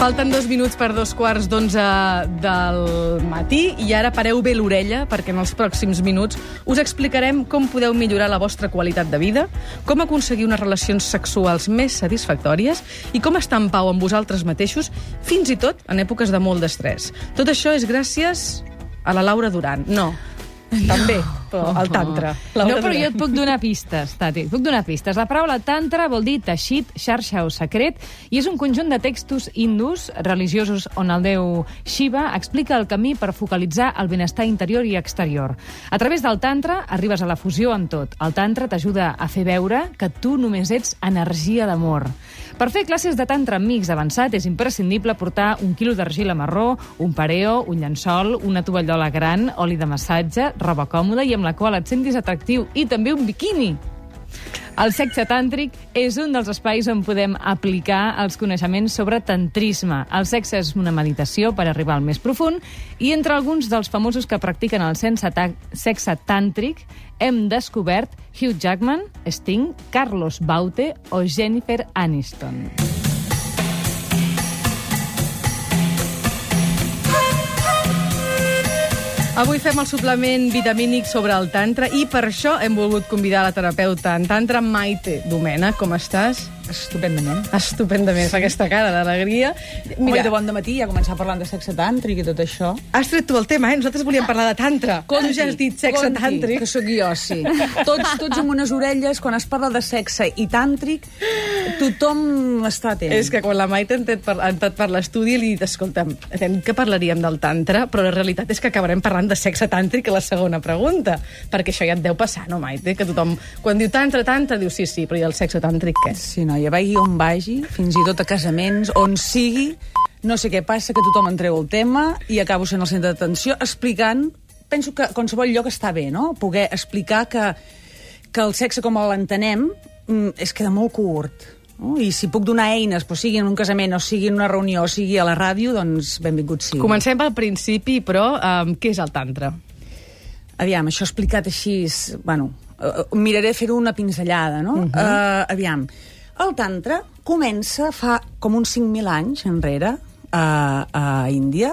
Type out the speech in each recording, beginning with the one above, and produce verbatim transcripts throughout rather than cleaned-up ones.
Falten dos minuts per dos quarts d'onze del matí i ara pareu bé l'orella perquè en els pròxims minuts us explicarem com podeu millorar la vostra qualitat de vida, com aconseguir unes relacions sexuals més satisfactòries i com estar en pau amb vosaltres mateixos, fins i tot en èpoques de molt d'estrès. Tot això és gràcies a la Laura Duran. No, també, però al tantra. No, però jo et puc donar pistes, Tati, et puc donar pistes. La paraula tantra vol dir teixit, xarxa o secret, i és un conjunt de textos hindús religiosos on el déu Shiva explica el camí per focalitzar el benestar interior i exterior. A través del tantra arribes a la fusió amb tot. El tantra t'ajuda a fer veure que tu només ets energia d'amor. Per fer classes de tantra amb mix avançat és imprescindible portar un quilo d'argila marró, un pareo, un llençol, una tovallola gran, oli de massatge, roba còmoda i amb la qual et sentis atractiu, i també un biquini. El sexe tàntric és un dels espais on podem aplicar els coneixements sobre tantrisme. El sexe és una meditació per arribar al més profund i entre alguns dels famosos que practiquen el sexe tàntric hem descobert Hugh Jackman, Sting, Carlos Baute o Jennifer Aniston. Avui fem el suplement vitamínic sobre el tantra i per això hem volgut convidar la terapeuta en tantra Maite Domènech. Com estàs? Estupendament. Estupendament, fa aquesta cara d'alegria. Mira, de bon dematí ja començar parlant de sexe tàntric i tot això. Has tret tu el tema, eh? Nosaltres volíem parlar de tantra. Conti, tu ja has dit sexe conti, tàntric. que sóc jo, sí. Tots, tots amb unes orelles, quan es parla de sexe i tàntric, tothom està atent. És que quan la Maite ha entrat per, ha entrat per l'estudi li he dit, escolta'm, que parlaríem del tantra, però la realitat és que acabarem parlant de sexe tàntric a la segona pregunta, perquè això ja et deu passar, no, Maite? Que tothom, quan diu tantra, tantra, diu sí, sí, però i el sexe tàntric què? Sí, no, ja vagi on vagi, fins i tot a casaments, on sigui, no sé què passa, que tothom en treu el tema i acabo sent el centre d'atenció explicant, penso que qualsevol lloc està bé, no? Poder explicar que, que el sexe com l'entenem es queda molt curt. No? I si puc donar eines, però sigui en un casament, o sigui en una reunió, o sigui a la ràdio, doncs benvingut sigui. Comencem al principi, però um, què és el tantra? Aviam, això explicat així, bueno, uh, miraré fer-ho una pinzellada, no? Uh-huh. uh, aviam, el tantra comença fa com uns cinc mil anys enrere a, a Índia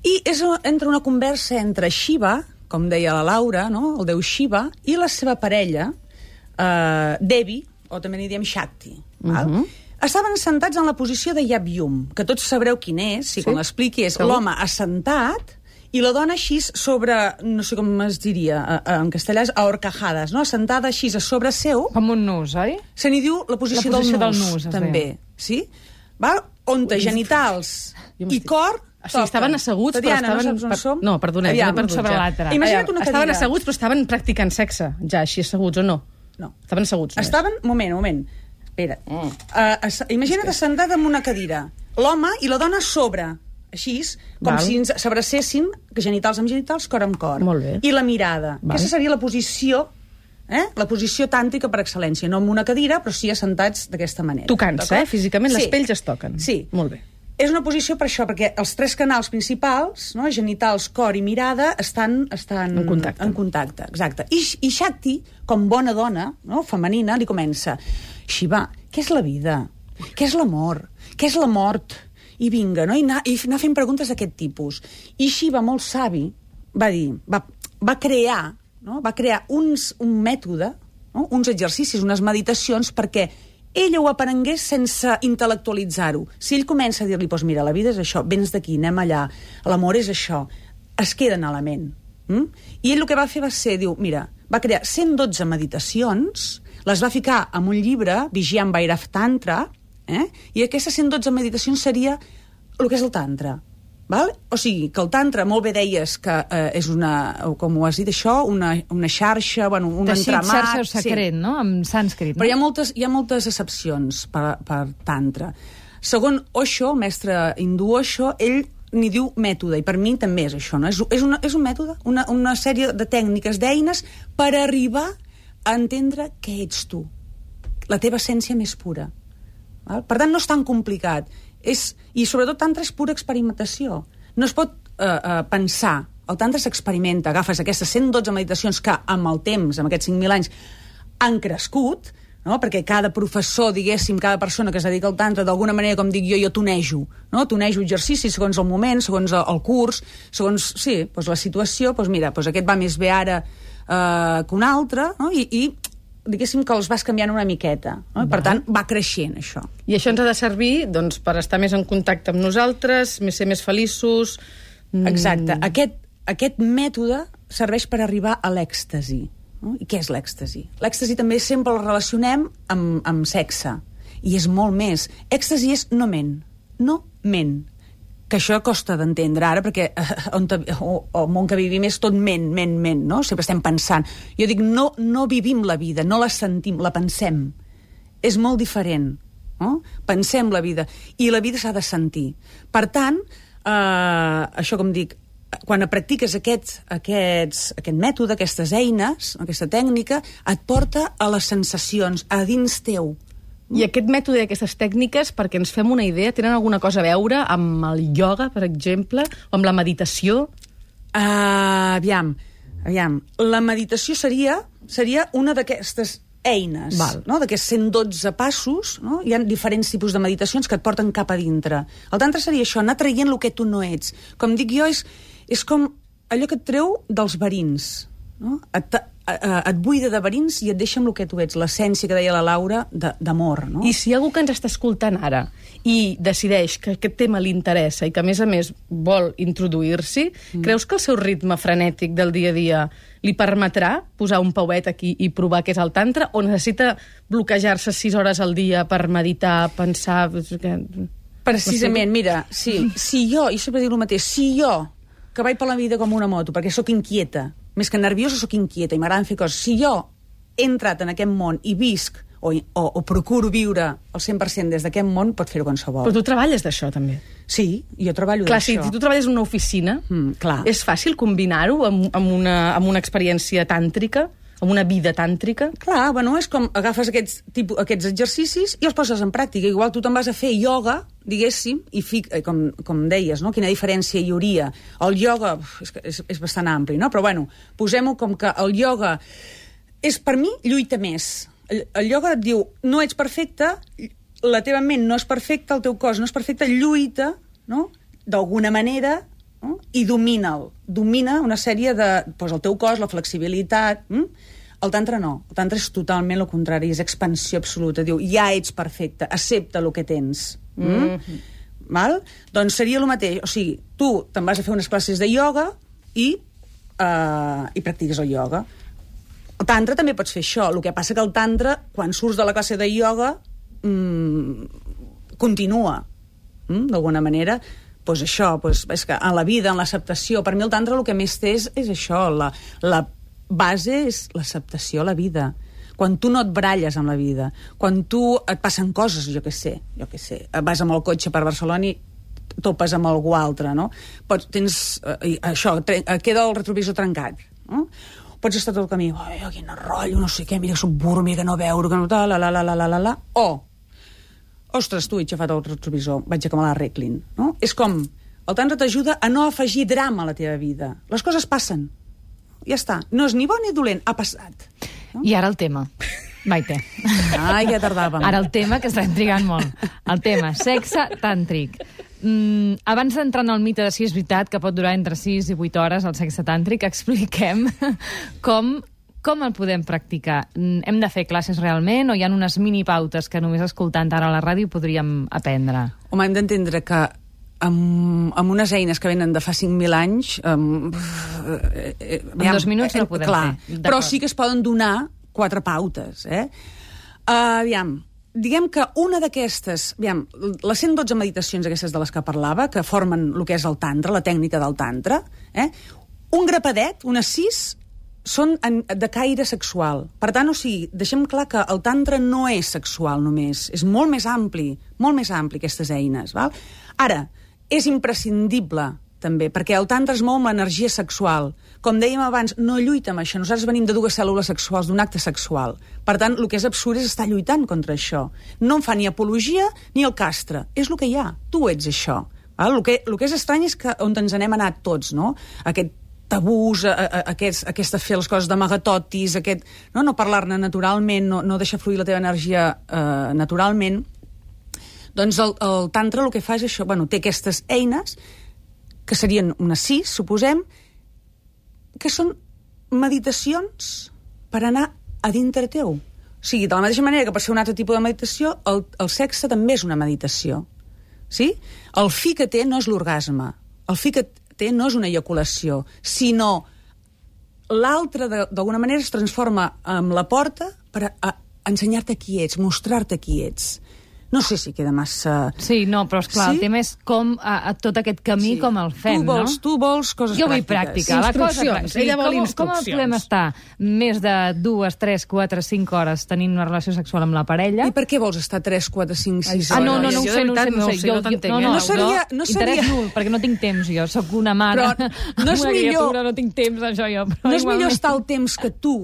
i és entre una conversa entre Shiva, com deia la Laura, no? El déu Shiva, i la seva parella, uh, Devi, o també n'hi diem Shakti. Val? Uh-huh. Estaven assentats en la posició de Yab-Yum, que tots sabreu quin és, si sí? Quan l'expliqui és segur. L'home assentat i la dona així sobre, no sé com es diria, en castellà és a horcajades, no? Assentada així a sobre seu. Com un nus, oi? Se n'hi diu la posició, la posició del nus, del nus també. Sí? Val? On té genitals i cor. O sigui, estaven asseguts, Tatiana, però estaven... No saps on som? No, perdoneu, Aviam, m'he perdut sobre ja. l'altre. Imagina't una cadira. Estaven asseguts, però estaven practicant sexe, ja, així asseguts, o no? No. Estaven asseguts. Només. Estaven... Moment, moment. Espera. Mm. Uh, imagina't assentat en una cadira. L'home i la dona a sobre, així, com Val. Si ens s'abracessin, genitals amb genitals, cor amb cor. Molt bé. I la mirada. Val. Aquesta seria la posició, eh? La posició tàntrica per excel·lència. No en una cadira, però sí assentats d'aquesta manera. Tocant-se, eh? Físicament, sí. Les pells es toquen. Sí. Molt bé. És una posició per això, perquè els tres canals principals, no? Genitals, cor i mirada, estan, estan en contacte. En contacte, exacte. I, i Shakti, com bona dona, no? Femenina, li comença: Shiva, què és la vida? Què és l'amor? Què és la mort? I vinga, no? I anar, i anar fent preguntes d'aquest tipus. I Shiva, molt savi, va dir, va, va crear, no? Va crear uns, un mètode, no? Uns exercicis, unes meditacions, perquè ella ho aprengués sense intel·lectualitzar-ho. Si ell comença a dir-li, doncs mira, la vida és això, vens d'aquí, anem allà, l'amor és això, es queden a la ment. Mm? I ell el que va fer va ser, diu, mira, va crear cent dotze meditacions, les va ficar en un llibre, Vigyam Bhairav Tantra, eh? I aquestes cent dotze meditacions seria el que és el tantra. Val? O sigui, que el tantra, molt bé deies que eh, és una, com ho has dit això, una, una xarxa, bueno, un teixit, entramat... xarxa o secret, sí. No? En sànscrit. No? Però hi ha moltes, hi ha moltes excepcions per, per tantra. Segon Osho, el mestre hindú Osho, ell n'hi diu mètode, i per mi també és això, no? És, és, una, és un mètode, una, una sèrie de tècniques, d'eines, per arribar a entendre què ets tu, la teva essència més pura. Val? Per tant, no és tan complicat. És, i sobretot tantra és pura experimentació. No es pot eh, eh, pensar. El tantra s'experimenta. Agafes aquestes cent dotze meditacions que amb el temps, amb aquests cinc mil anys, han crescut, no? Perquè cada professor, diguéssim, cada persona que es dedica al tantra, d'alguna manera, com dic jo, jo tonejo, no? Tonejo exercicis segons el moment, segons el curs, segons, sí, doncs la situació, doncs mira, doncs aquest va més bé ara eh, que un altre, no? I, i diguéssim que els vas canviant una miqueta, no? Per tant, va creixent, això. I això ens ha de servir, doncs, per estar més en contacte amb nosaltres, ser més feliços... Exacte. Mm. Aquest, aquest mètode serveix per arribar a l'èxtasi. No? I què és l'èxtasi? L'èxtasi també sempre el relacionem amb, amb sexe. I és molt més. Èxtasi és no ment. No ment. Que això costa d'entendre ara, perquè eh, on, o, el món que vivim és tot ment, ment, ment, no? Sempre estem pensant. Jo dic, no, no vivim la vida, no la sentim, la pensem. És molt diferent. No? Pensem la vida. I la vida s'ha de sentir. Per tant, eh, això com dic, quan practiques aquest, aquests, aquest mètode, aquestes eines, aquesta tècnica, et porta a les sensacions, a dins teu. I aquest mètode i aquestes tècniques, perquè ens fem una idea, tenen alguna cosa a veure amb el ioga, per exemple, o amb la meditació? Uh, aviam, aviam. La meditació seria, seria una d'aquestes eines, Val. No? D'aquests cent dotze passos, no? Hi ha diferents tipus de meditacions que et porten cap a dintre. El tantra seria això, anar traient el que tu no ets. Com dic jo, és, és com allò que et treu dels verins, no? Et, et buida de verins i et deixa amb el que tu ets, l'essència que deia la Laura d'amor, no? I si hi ha algú que ens està escoltant ara i decideix que aquest tema li interessa i que a més a més vol introduir-s'hi, mm. creus que el seu ritme frenètic del dia a dia li permetrà posar un pauet aquí i provar què és el tantra, o necessita bloquejar-se sis hores al dia per meditar, pensar... Precisament, mira, sí, si jo, i sempre dic el mateix, si jo, que vaig per la vida com una moto, perquè sóc inquieta, més que nerviosa sóc inquieta i m'agraden fer coses, si jo he entrat en aquest món i visc o, o, o procuro viure el cent per cent des d'aquest món, pot fer-ho qualsevol. Però tu treballes d'això, també. Sí, jo treballo clar, d'això. Si, si tu treballes en una oficina, mm, clar. És fàcil combinar-ho amb, amb, una, amb una experiència tàntrica, amb una vida tàntrica? Clar, bueno, és com agafes aquests, tipus, aquests exercicis i els poses en pràctica. Igual tu te'n vas a fer ioga, diguéssim, i fic, com, com deies, no? Quina diferència hi hauria. El ioga és, és, és bastant ampli, no? Però bueno, posem-ho com que el ioga és, per mi, lluita més. El, el ioga et diu, no ets perfecte, la teva ment no és perfecta, el teu cos no és perfecte, lluita, no? D'alguna manera, no? I domina'l. Domina una sèrie de... Doncs el teu cos, la flexibilitat... Hm? El tantra no. El tantra és totalment el contrari, és expansió absoluta. Diu, ja ets perfecte, accepta el que tens. Hm? Mm-hmm. Val? Doncs seria el mateix. O sigui, tu te'n vas a fer unes classes de ioga i, uh, i practiques el ioga. El tantra també pots fer això. El que passa que el tantra, quan surts de la classe de ioga, mmm, continua. Hm? D'alguna manera... Pues això, pues, és que en la vida, en l'acceptació, per mi el tantra el que més té és, és això, la, la base és l'acceptació a la vida. Quan tu no et baralles amb la vida, quan tu et passen coses, jo què sé, jo què sé, vas amb el cotxe per Barcelona i topes amb algú altre, no? Pots, tens, eh, això, tre, queda el retrovisor trencat, no? Pots estar tot el camí, ai, quin rotllo, no sé què, mira que soc burro, mira que no veure, que no tal, la, la, la, la, la, la, o ostres, tu he aixafat el retrovisor, vaig a que me l'arreglin, no? És com, el tantra t'ajuda a no afegir drama a la teva vida. Les coses passen. Ja està. No és ni bo ni dolent, ha passat. No? I ara el tema. Maite. Ai, ja tardàvem. Ara el tema, que estem trigant molt. El tema, sexe tàntric. Mm, abans d'entrar en el mite de si és veritat que pot durar entre sis i vuit hores el sexe tàntric, expliquem com... Com el podem practicar? Hem de fer classes realment o hi ha unes minipautes que només escoltant ara a la ràdio podríem aprendre? Home, hem d'entendre que amb, amb unes eines que venen de fa cinc mil anys... Um, eh, eh, en dos minuts no podem clar, fer. Però sí que es poden donar quatre pautes. Eh? Uh, aviam, diguem que una d'aquestes... Aviam, les cent dotze meditacions aquestes de les que parlava, que formen el que és el tantra, la tècnica del tantra, eh? Un grapadet, unes sis... són de caire sexual. Per tant, o sigui, deixem clar que el tantra no és sexual només, és molt més ampli, molt més ampli, aquestes eines. Val? Ara, és imprescindible, també, perquè el tantra es mou amb l'energia sexual. Com dèiem abans, no lluita amb això. Nosaltres venim de dues cèl·lules sexuals, d'un acte sexual. Per tant, el que és absurd és estar lluitant contra això. No en fa ni apologia ni el castre. És el que hi ha. Tu ets això. Val? El que, el que és estrany és que on ens anem anat tots, no? Aquest tabús, a, a, aquest, aquest fer les coses d'amagatotis, aquest, no, no parlar-ne naturalment, no, no deixar fluir la teva energia eh, naturalment, doncs el, el tantra el que fa és això, bueno, té aquestes eines, que serien unes sis, suposem, que són meditacions per anar a dintre teu. O sigui, de la mateixa manera que per ser un altre tipus de meditació, el, el sexe també és una meditació. Sí? El fi que té no és l'orgasme. El fi que té no és una eyaculació, sinó l'altre, d'alguna manera, es transforma en la porta per a, a ensenyar-te qui ets, mostrar-te qui ets. No sé si queda massa... Sí, no, però esclar, sí? el tema és com a, a tot aquest camí, sí. com el fem, tu vols, no? Tu vols coses jo pràctiques. Jo vull pràctica. La cosa instruccions. Ella vol com, instruccions. Com podem estar més de dues, tres, quatre, cinc hores tenint una relació sexual amb la parella? I per què vols estar tres, quatre, cinc, sis Ah, no, no, no ho jo sé, de no ho sé, veritat no ho no sé. ho sé, Jo, no t'entenc, no, eh? no, No seria- jo, no seria- interès nul, perquè no tinc temps jo. Soc una mare Però no és amb una millor- criatura, no tinc temps, això jo. Però No és millor igualment. estar el temps que tu,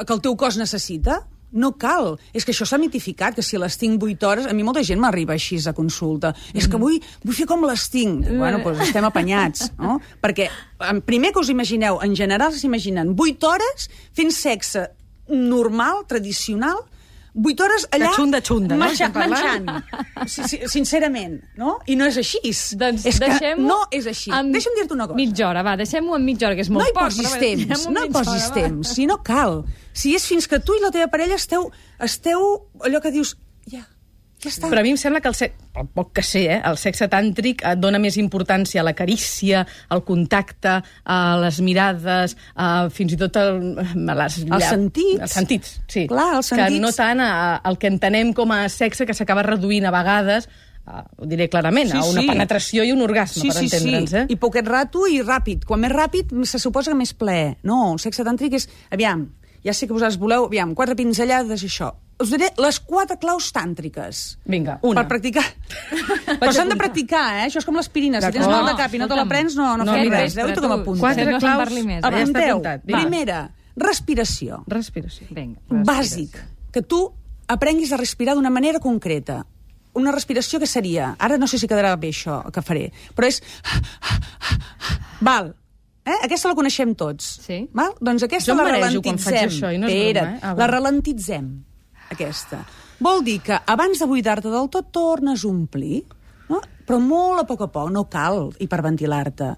que el teu cos necessita? No cal. És que això s'ha mitificat, que si les tinc vuit hores... A mi molta gent m'arriba així a consulta. Mm. És que vull, vull fer com les tinc. Mm. Bueno, doncs estem apanyats, no? Perquè, primer que us imagineu, en general s'imaginen vuit hores fent sexe normal, tradicional, vuit hores allà... De xunda, xunda, no? Menjant, Estem parlant. menjant. Sí, sí, sincerament, no? I no és així. Doncs és que deixem-ho no és així. amb Deixa'm dir-te una cosa. Mitja hora, va, deixem-ho en mitja hora, que és molt No hi poc. posis però bé, temps, deixem-ho en no hi mitja posis hora, va. temps, si no cal. Si és fins que tu i la teva parella esteu, esteu allò que dius, ja, ja està. Però a mi em sembla que el sexe, el poc que sé, eh, el sexe tàntric et dona més importància a la carícia, al contacte, a les mirades, a, fins i tot el, a les, Els sentits. Els sentits, sí. Clar, els sentits. Que no tant a, al que entenem com a sexe, que s'acaba reduint a vegades, a, ho diré clarament, Sí, a una sí. penetració i un orgasme, Sí, per sí, entendre'ns. sí. Eh? I poquet rato i ràpid. Quan més ràpid, se suposa que més plaer. No, el sexe tàntric és... Aviam, ja sé que vosaltres voleu, aviam, quatre pinzellades i això. Us diré les quatre claus tàntriques. Vinga, una. Per practicar. Però s'han de practicar, eh? Això és com l'aspirina. Si tens mal de cap i no te la prens, no, no, No, fas mira, res. Déu, tu que m'apuntes. Quatre No se'n claus. parli més, eh? Ja està Apunteu. apuntat. Vinga. Primera, respiració. Respiració. Vinga, Bàsic. Que tu aprenguis a respirar d'una manera concreta. Una respiració que seria... Ara no sé si quedarà bé això que faré, però és... Val. Eh? Aquesta la coneixem tots. Sí. Val? Doncs aquesta Jo em la marejo quan ralentitzem. faig això i no és Espera't, broma, eh? Ah, la va. ralentitzem, aquesta. Vol dir que abans de buidar-te del tot tornes a omplir, no? Però molt a poc a poc, no cal hiperventilar-te.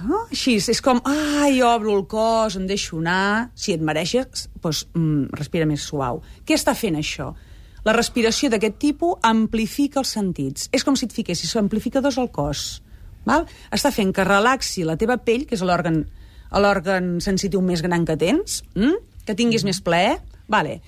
No? Així, és com, ai, obro el cos, em deixo anar... Si et mereixes, doncs, mm, respira més suau. Què està fent això? La respiració d'aquest tipus amplifica els sentits. És com si et fiquessis amplificadors al cos. Val? Està fent que relaxi la teva pell, que és l'òrgan l'òrgan sensitiu més gran que tens, mm? que tinguis més plaer. Vale.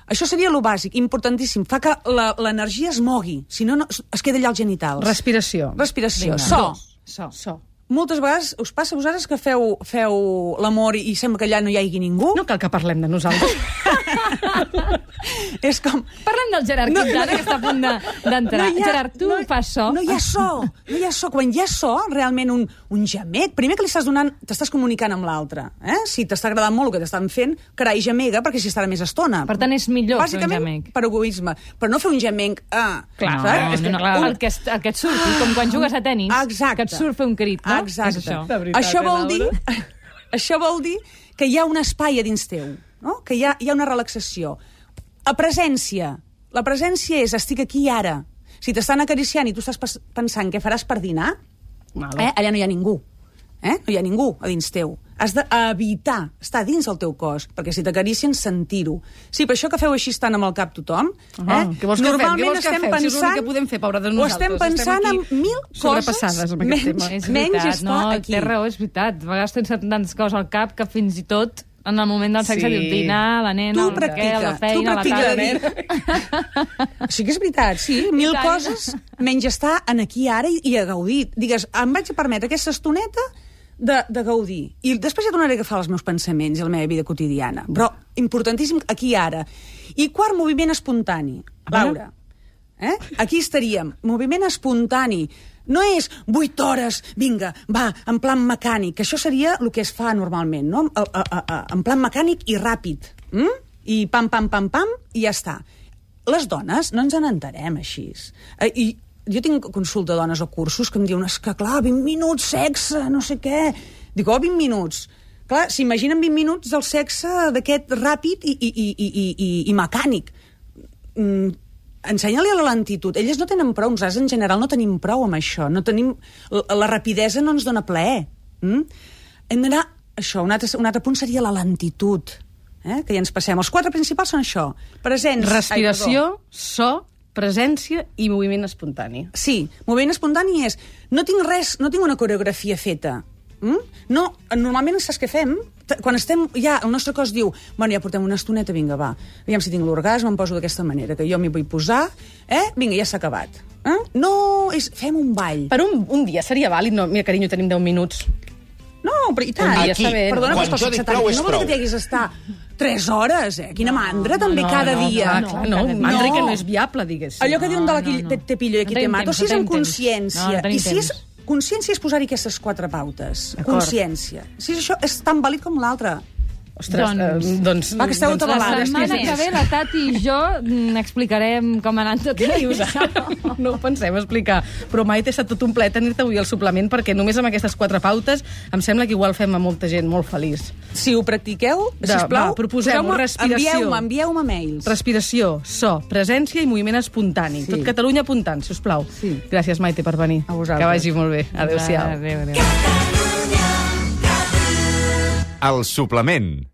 Això seria lo bàsic, importantíssim. Fa que la- l'energia es mogui, si no, no es queda allà al genital. Respiració. Respiració. Vinga. So. So. So. Moltes vegades us passa a vosaltres que feu, feu l'amor i sembla que allà no hi hagi ningú? No cal que parlem de nosaltres. És com... Parlem del Gerard No, Quintana, no. que està a punt de- d'entrar. hi ha- Gerard, tu no, fas so? No hi ha so, no hi ha so. Quan hi ha so, realment un, un gemec, primer que li estàs donant, t'estàs comunicant amb l'altre. Eh? Si t'està agradant molt el que t'estan fent, carai, gemega, perquè si estarà més estona. Per tant, és millor fer un Bàsicament, gemec. per egoisme. Però no fer un gemec... Ah, Clar, saps? no, És que, no, clar, un- el, que, es- el que et surti, com quan jugues a tennis, Exacte. que et surt fer un crit, no? Exacte. És això. De veritat, això eh, vol dir, Laura? això vol dir que hi ha un espai a dins teu, no? Que hi ha, hi ha una relaxació. A presència. La presència és estic aquí i ara. Si t'estan acariciant i tu estàs pas- pensant què faràs per dinar, Vale. eh, allà no hi ha ningú. Eh? No hi ha ningú a dins teu. Has d'evitar estar dins del teu cos, perquè si t'acaricien, sentir-ho. Sí, per això que feu així estant amb el cap tothom, Ah, eh? què vols que fem? Què normalment vols que estem fem? Si és pensant... l'únic que podem fer, pobra de o estem nosaltres. pensant Estem en aquí mil coses sobrepassades amb aquest menys, tema. És menys veritat, estar no? aquí. Té raó, és veritat. A vegades tens tantes coses al cap que fins i tot en el moment del sexe Sí. dius dinar, la nena, Tu el practica, què, la tu feina, la practica casa. de dir. Sí que és veritat, sí, mil tant. coses, menys estar en aquí ara i, i a gaudir. Digues, em vaig a permetre aquesta estoneta de, de gaudir. I després ja tornaré a agafar els meus pensaments i la meva vida quotidiana. Però importantíssim aquí i ara. I quart, moviment espontani. Laura, eh? Aquí estaríem. Moviment espontani. No és vuit hores, vinga, va, en plan mecànic, que això seria el que es fa normalment, no? A, a, a, a, en plan mecànic i ràpid. Mm? I pam, pam, pam, pam, i ja està. Les dones no ens n'entarem així. Eh, I jo tinc consulta de dones o cursos que em diuen, és que clar, vint minuts, sexe, no sé què. Dic, oh, vint minuts. Clar, s'imaginen vint minuts del sexe d'aquest ràpid i, i, i, i, i, i mecànic. Mm, ensenya-li a la lentitud. Elles no tenen prou, nosaltres en general no tenim prou amb això. No tenim... La, la rapidesa no ens dona plaer. Mm? Hem d'anar... Això, un altre, un altre punt seria la lentitud. Eh? Que ja ens passem. Els quatre principals són això. Presents... Respiració, Ai, so, presència i moviment espontani. Sí, moviment espontani és... No tinc res, no tinc una coreografia feta. Mm? No, normalment saps què fem? Quan estem, ja, el nostre cos diu bueno, ja portem una estoneta, vinga, va aviam si tinc l'orgasme, em poso d'aquesta manera que jo m'hi vull posar, eh? Vinga, ja s'ha acabat eh? No, és, fem un ball. Per un, un dia seria vàlid? No, mira, carinyo, tenim deu minuts. No, però i tant. Aquí, perdona, quan jo dic prou és no vol dir que t'hi haguis d'estar tres hores, eh? Quina mandra, no, també, no, cada no, dia. No, clar, no, no, mandra no. Que no és viable, diguéssim. Allò que diuen de la no, no, no. te pillo i aquí te mato, si és amb consciència. No, I si és consciència és posar-hi aquestes quatre pautes. Consciència. Si això és tan vàlid com l'altre. Ostres, doncs, eh, doncs... Va, que esteu doncs, tota la setmana que ve la Tati i jo n'explicarem com ha anat tot això. No ho pensem explicar. Però mai t'he estat tot un ple tenir-te avui al suplement perquè només amb aquestes quatre pautes em sembla que igual fem a molta gent molt feliç. Si ho practiqueu, sisplau, proposem-ho, respiració. Envieu-me, envieu-me mails. Respiració, so, presència i moviment espontani. Sí. Tot Catalunya apuntant, si us plau. Sí. Gràcies, Maite, per venir. A vosaltres. Que vagi molt bé. Adéu-siau. Adéu, adéu. El suplement.